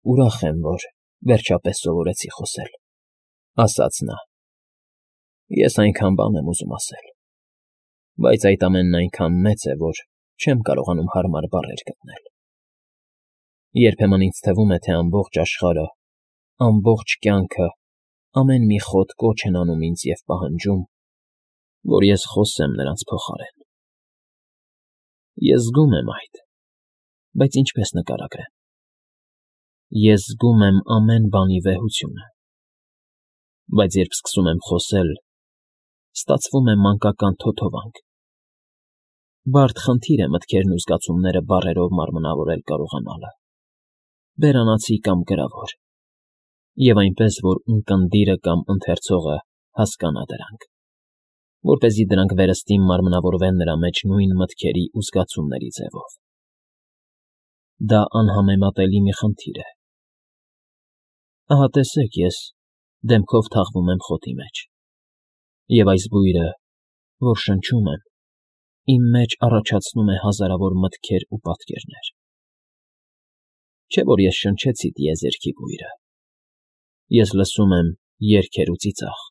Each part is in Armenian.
Ուրախ եմ, որ վերջապես սովորեցի խոսել,֊ ասաց նա։ Ես այնքան բան եմ ուզում ասել, բայց այդ ամենն այնքան մեծ է, որ չեմ կարողանում հարմար բառեր գտնել։ Երբեմն ինձ թվում է, թե ամբողջ աշխարհը, ամբողջ կյանքը, ամեն մի խոտ կոչ են անում ինձ և պահանջում, որ ես խոսեմ նրանց փոխարեն։ Ես զգում եմ այդ, բայց ինչպես նկարագրեմ։ Ես զգում եմ ամեն բանի վեհությունը, բայց երբ սկսում եմ խոսել, ստացվում է մանկական թոթովանք։ Բարդ խնդիր է մտքերն ու զգացումները բառերով մարմնավորել կարողանալը, բերանացի կամ գրավոր, և այնպես, որ ունկնդիրը կամ ընթերցողը հասկանա դրանք, որպեսզի դրանք վերստին մարմնավորվեն նրա մեջ նույն մտքերի ու զգացումների ձևով։ Դա անհամեմատելի մի խնդիր է։ Ահա տեսեք, ես դեմքով թաղվում եմ խոտի մեջ, և այս բույրը, որ շնչում եմ, իմ մեջ առաջացնում է հազարավոր մտքեր ու պատկերներ։ Չէ՞ որ ես շնչեցի տիեզերքի բույրը։ Ես լսում եմ երգեր ու ծիծաղ,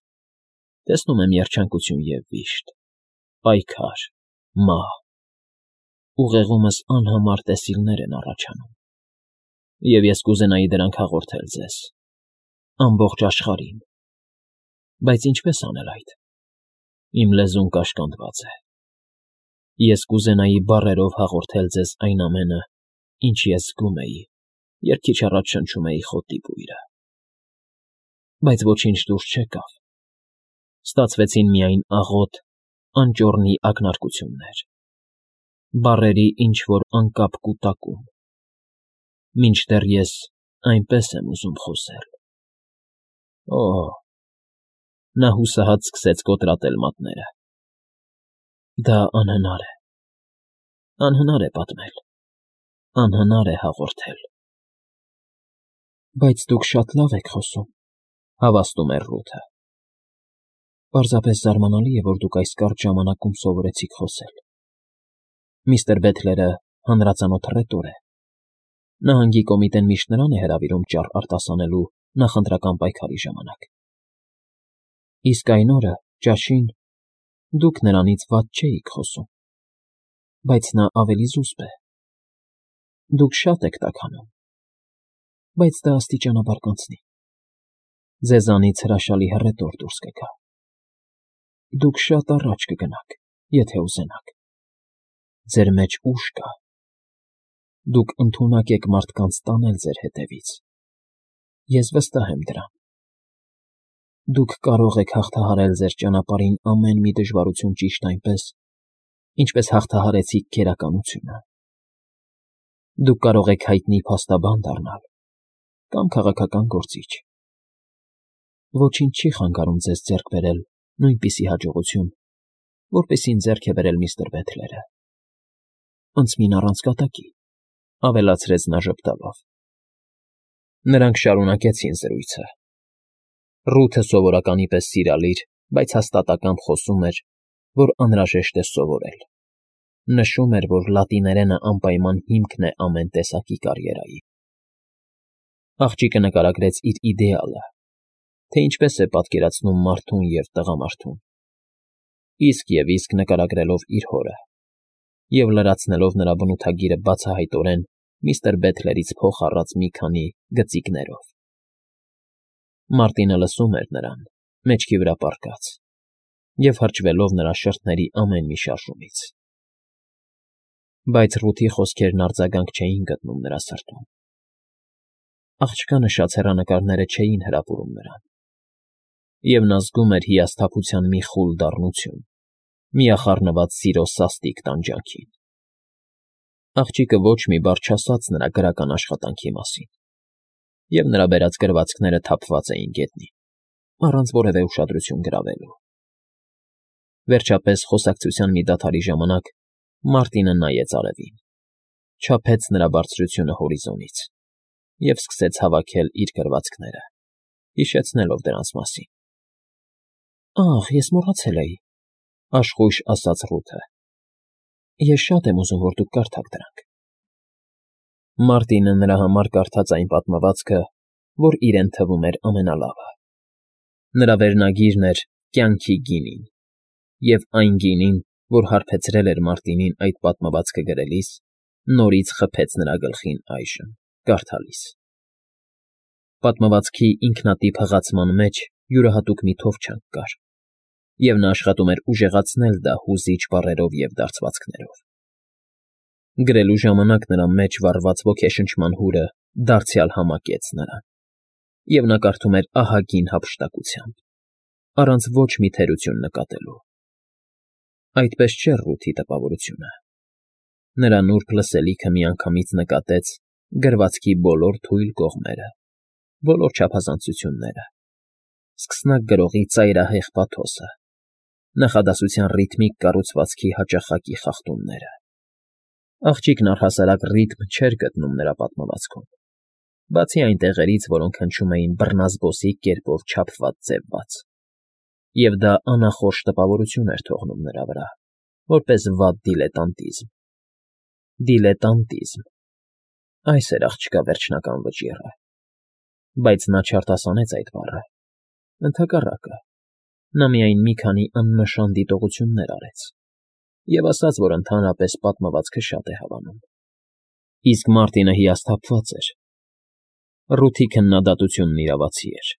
տեսնում եմ երջանկություն և վիշտ, պայքար, մահ, ուղեղումս անհամար տեսիլներ են առաջանում, և ես կուզենայի դրանք հաղորդել ձեզ, ամբողջ աշխարհին, բայց ինչպես անել այդ։ Իմ լեզուն կաշկանդված է։ Ես կուզենայի բառերով հաղորդել ձեզ այն ամենը, ինչ ես զգում էի, երբ քիչ առաջ շնչում էի խոտի բույրը։ Բայց ոչինչ դուրս չեկավ։ Ստացվեցին միայն աղոտ, անճոռնի ակնարկություններ, բառերի ինչ-որ անկապ կուտակում, մինչդեռ ես այնպես եմ ուզում խոսել։ Օհ… Նա հուսահատ սկսեց կոտրատել մատները։ Դա անհնար է։ Անհնար է պատմել, անհնար է հաղորդել։ Բայց դուք շատ լավ եք խոսում,֊ հավաստում էր Ռութը։ Պարզապես զարմանալի է, որ դուք այս կարճ ժամանակում սովորեցիք խոսել։ Միստր Բեթլերը հանրածանոթ ռետոր է։ Նահանգի կոմիտեն միշտ նրան է հրավիրում ճառ արտասանելու նախընտրական պայքարի ժամանակ։ Իսկ այն օրը, ճաշին, դուք նրանից վատ չէիք խոսում, բայց նա ավելի զուսպ է։ Դուք շատ եք տաքանում, բայց դա աստիճանաբար կանցնի։ Ձեզանից հրաշալի հռետոր դուրս կգա։ Դուք շատ առաջ կգնաք, եթե ուզենաք։ Ձեր մեջ ուժ կա։ Դուք ընդունակ եք մարդկանց տանել ձեր հետևից։ Ես վստահ եմ դրան։ Դուք կարող եք հաղթահարել ձեր ճանապարհին ամեն մի դժվարություն ճիշտ այնպես, ինչպես հաղթահարեցիք գերականությունը։ Դուք կարող եք հայտնի փաստաբան դառնալ կամ քաղաքական գործիչ։ Ոչինչ չի խանգարում ձեզ ձեռք բերել նույնպիսի հաջողություն, որպեսզի ձեռք է բերել միստր Բեթլերը։ Անցմին առանց կատակի,֊ ավելացրեց նա ժպտալով։ Նրանք շարունակեցին զրույցը։ Ռութը սովորականի պես սիրալիր, բայց հաստատակամ խոսում էր, որ անհրաժեշտ է սովորել։ Նշում էր, որ լատիներենը անպայման հիմքն է ամեն տեսակի կարիերայի։ Աղջիկը նկարագրեց իր իդեալը, թե ինչպես է պատկերացնում մարդուն և տղամարդուն, իսկ նկարագրելով իր հորը և լրացնելով նրա բնութագիրը բացահայտորեն միստր Բեթլերից փող առած մի քանի գծիկներով։ Մարտինը լսում էր նրան, մեջքի վրա պառկած, և հրճվելով նրա շրթների ամեն մի շարժումից։ Բայց Ռութի խոսքերն արձագանք չէին գտնում նրա սրտում։ Աղջկա նշած հեռանկարները չէին հրապուրում նրան, և նա զգում էր հիասթափության մի խուլ դառնություն, միախառնված սիրո սաստիկ տանջանքին։ Աղջիկը ոչ մի բառ չասաց նրա գրական աշխատանքի մասին, և նրա բերած գրվածքները թափված էին գետնին, առանց որևէ ուշադրություն գրավելու։ Վերջապես, խոսակցության մի դադարի ժամանակ Մարտինը նայեց արևին, չափեց նրա բարձրությունը հորիզոնից և սկսեց հավաքել իր գրվածքները, հիշեցնելով դրանց մասին։ Ահ, ես մոռացել էի,֊ աշխույժ ասաց Ռութը։ Ես շատ եմ ուզում, որ դուք կարդաք դրանք։ Մարտինը նրա համար կարդաց այն պատմվածքը, որ իրեն թվում էր ամենալավը։ Նրա վերնագիրն էր «Կյանքի գինին», և այն գինին, որ հարբեցրել էր Մարտինին այդ պատմվածքը գրելիս, նորից խփեց նրա գլխին այժմ, կարդալիս։ Պատմվածքի ինքնատիպ հղացման մեջ յուրահատուկ մի թովչանք կար, և նա աշխատում էր ուժեղացնել դա հուզիչ բառերով և դարձվածքներով։ Գրելու ժամանակ նրա մեջ վառված ոգեշնչման հուրը դարձյալ համակեց նրան, և նա կարդում էր ահագին հափշտակությամբ, առանց ոչ մի թերություն նկատելու։ Այդպես չէր Ռութի տպավորությունը։ Նրա նուրբ լսելիքը միանգամից նկատեց գրվածքի բոլոր թույլ կողմերը, բոլոր չափազանցությունները, սկսնակ գրողի ծայրահեղ պաթոսը, նախադասության ռիթմիկ կառուցվածքի հաճախակի խախտումները։ Աղջիկն առհասարակ ռիթմ չէր գտնում նրա պատմվածքում, բացի այն տեղերից, որոնք հնչում էին բռնազբոսիկ կերպով չափված ձևված, և դա անախորժ տպավորություն էր թողնում նրա վրա, որպես վատ դիլետանտիզմ։ Դիլետանտիզմ… Այս էր աղջկա վերջնական վճիռը, բայց նա չարտասանեց այդ բառը, ընդհակառակը, նա միայն մի քանի աննշան դիտողություններ արեց և ասաց, որ ընդհանրապես պատմվածքը շատ է հավանում։ Իսկ Մարտինը հիասթափված էր։ Ռութի քննադատությունն իրավացի էր։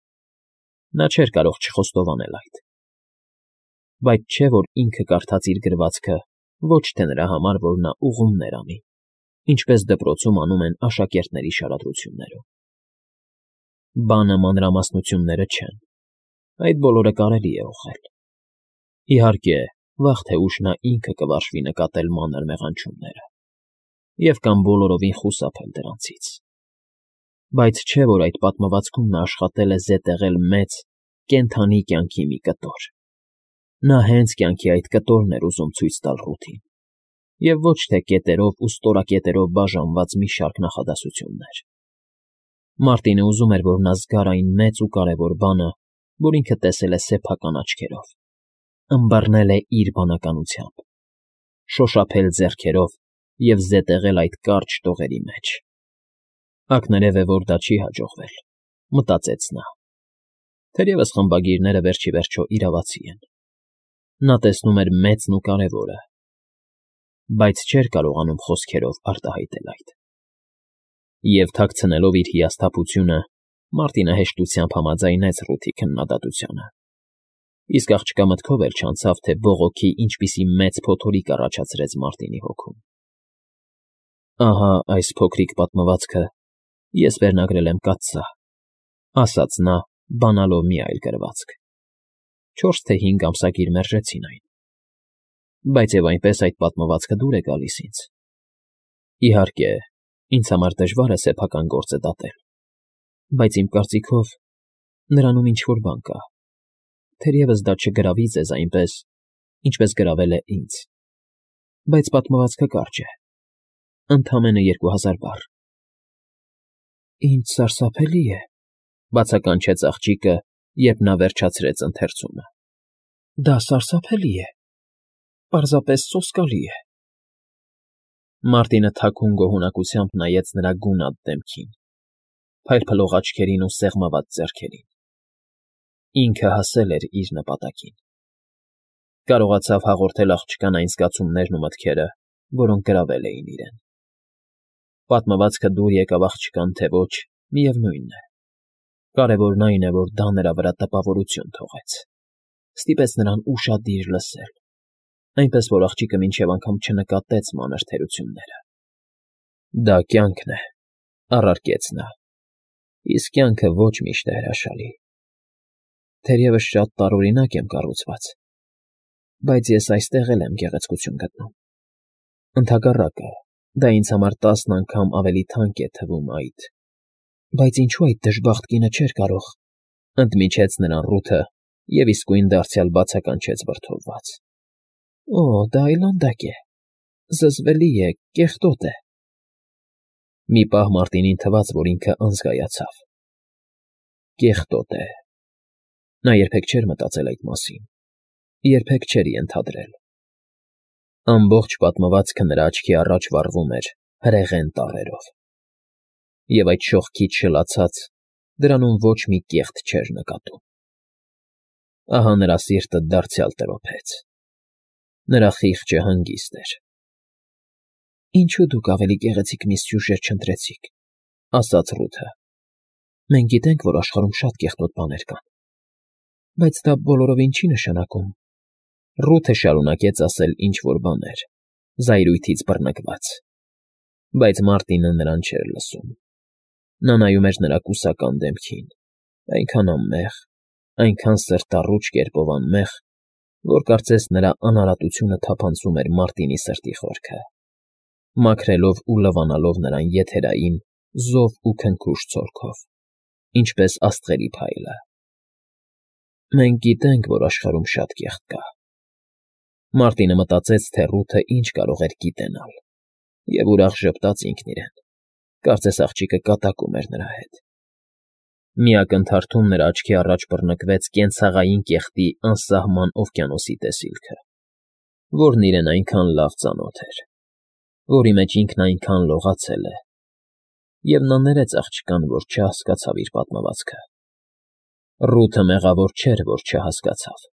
Նա չէր կարող չխոստովանել այդ։ Բայց չէ՞ որ ինքը կարդաց իր գրվածքը ոչ թե նրա համար, որ նա ուղումներ անի, ինչպես դպրոցում անում են աշակերտների շարադրություններում։ Բանը մանրամասնությունները չեն, այդ բոլորը կարելի է ուղղել։ Իհարկե, վաղ թե ուշ նա ինքը կվարժվի նկատել մանր մեղանչումները և կամ բոլորովին խուսափել դրանցից։ Բայց չէ՞ որ այդ պատմվածքում նա աշխատել է զետեղել մեծ, կենդանի կյանքի մի կտոր։ Նա հենց կյանքի այդ կտորն էր ուզում ցույց տալ Ռութին, և ոչ թե կետերով ու ստորակետերով բաժանված մի շարք նախադասություններ։ Մարտինը ուզում էր, որ նա զգար այն մեծ ու կարևոր բանը, որ ինքը տեսել է սեփական աչքերով, ըմբռնել է իր բանականությամբ, շոշափել ձեռքերով և զետեղել այդ կարճ տողերի մեջ։ Ակներև է, որ դա չի հաջողվել, մտածեց նա։ Թերևս խմբագիրները վերջիվերջո իրավացի են։ Նա տեսնում էր մեծն ու կարևորը, բայց չէր կարողանում խոսքերով արտահայտել այդ։ Եվ թաքցնելով իր հիասթափությունը, Մարտինը հեշտությամբ համաձայնեց Ռութի քննադատությանը, իսկ աղջկա մտքով էլ չանցավ, թե բողոքի ինչպիսի մեծ փոթորիկ առաջացրեց Մարտինի հոգում։ «Ահա այս փոքրիկ պատմվածքը ես վերնագրել եմ կաթսա», ասաց նա, բանալով մի այլ գրվածք։ 4 թե 5 ամսագիր մերժեցին այն։ Բայց և այնպես այդ պատմվածքը դուր է գալիս ինձ։ Իհարկե, ինձ համար դժվար է սեփական գործը դատել, բայց իմ կարծիքով նրանում ինչ֊որ բան կա, թերևս դա չգրավի ձեզ այնպես, ինչպես գրավել է ինձ, բայց պատմվածքը կարճ է, ընդամենը 2000 բառ։ Ինձ սարսափելի է, բացականչեց աղջիկը, երբ նա վերջացրեց ընթերցումը։ Դա սարսափելի է, պարզապես սոսկալի է։ Մարտինը թաքուն գոհունակությամբ նայեց նրա գունատ դեմքին, փայլփլող աչքերին ու սեղմված ձեռքերին։ Ինքը հասել էր իր նպատակին։ Կարողացավ հաղորդել աղջկան այն զգացումներն ու մտքերը, որոնք գրավել էին իրեն։ Պատմվածքը դուր եկավ աղջկան, թե ոչ, միևնույն է։ Կարևորն այն է, որ դա նրա վրա տպավորություն թողեց, ստիպեց նրան ուշադիր լսել, այնպես որ աղջիկը մինչև անգամ չնկատեց մանր թերությունները։ Դա կյանքն է, առարկեց նա, իսկ կյանքը ոչ միշտ է հրաշալի։ Թերևս շատ տարօրինակ եմ կառուցված, բայց ես այստեղ էլ եմ գեղեցկություն գտնում։ Ընդհակառակը, դա ինձ համար 10 անգամ ավելի թանկ է թվում այդ… Բայց ինչո՞ւ այդ դժբախտ կինը չէր կարող… Ընդմիջեց նրան Ռութը և իսկույն դարձյալ բացականչեց վրդովված. Օ, դա այլանդակ է, զզվելի է, կեղտոտ է… Մի պահ Մարտինին թվաց, որ ինքը անզգայացավ։ Կեղտոտ է… Նա երբեք չէր մտածել այդ մասին, երբեք չէր ենթադրել։ Ամբողջ պատմվածքը նրա աչքի առաջ վառվում էր հրեղեն տառերով։ և այդ շողքից շլացած դրանում ոչ մի կեղտ չէր նկատում։ Ահա նրա սիրտը դարձյալ տրոփեց։ Նրա խիղճը հանգիստ էր։ «Ինչո՞ւ դուք ավելի գեղեցիկ մի սյուժե չընտրեցիք,֊ ասաց Ռութը։ Մենք գիտենք, որ աշխարհում շատ կեղտոտ բաներ կան, բայց դա բոլորովին չի նշանակում…»։ Ռութը շարունակեց ասել ինչ֊որ բաներ, զայրույթից բռնկված, բայց Մարտինը նրան չէր լսում։ Նա նայում էր նրա կուսական դեմքին, այնքան անմեղ, այնքան սրտառուչ կերպով անմեղ, որ կարծես նրա անարատությունը թափանցում էր Մարտինի սրտի խորքը, մաքրելով ու լվանալով նրան եթերային, զով ու քնքուշ ցորքով, ինչպես աստղերի փայլը։ «Մենք գիտենք, որ աշխարհում շատ կեղտ կա…»։ Մարտինը մտածեց, թե Ռութը ինչ կարող էր գիտենալ, և ուրախ ժպտաց ինքն իրեն, կարծես աղջիկը կատակում էր նրա հետ։ Մի ակնթարթում նրա աչքի առաջ բռնկվեց կենցաղային կեղտի անսահման օվկիանոսի տեսիլքը, որն իրեն այնքան լավ ծանոթ էր, որի մեջ ինքն այնքան լողացել է, և նա ներեց աղջկան, որ չհասկացավ իր պատմվածքը։ Ռութը մեղավոր չէր, որ չհասկացավ։